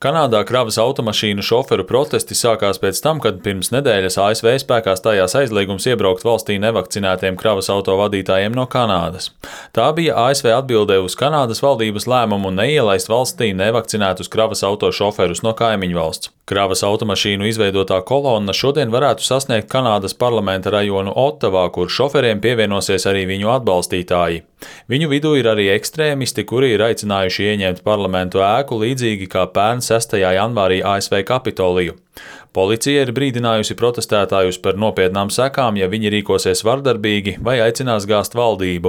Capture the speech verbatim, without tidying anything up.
Kanādā kravas automašīnu šoferu protesti sākās pēc tam, kad pirms nedēļas A S V spēkā stājās aizliegums iebraukt valstī nevakcinētiem kravas auto vadītājiem no Kanādas. Tā bija A S V atbilde uz Kanādas valdības lēmumu neielaist valstī nevakcinētus kravas auto šoferus no kaimiņu valsts. Kravas automašīnu izveidotā kolonna šodien varētu sasniegt Kanādas parlamenta rajonu Otavā, kur šoferiem pievienosies arī viņu atbalstītāji. Viņu vidū ir arī ekstrēmisti, kuri ir aicinājuši ieņemt parlamentu ēku līdzīgi kā pērn sestajā janvārī A S V Kapitoliju. Policija ir brīdinājusi protestētājus par nopietnām sekām, ja viņi rīkosies vardarbīgi vai aicinās gāzt valdību.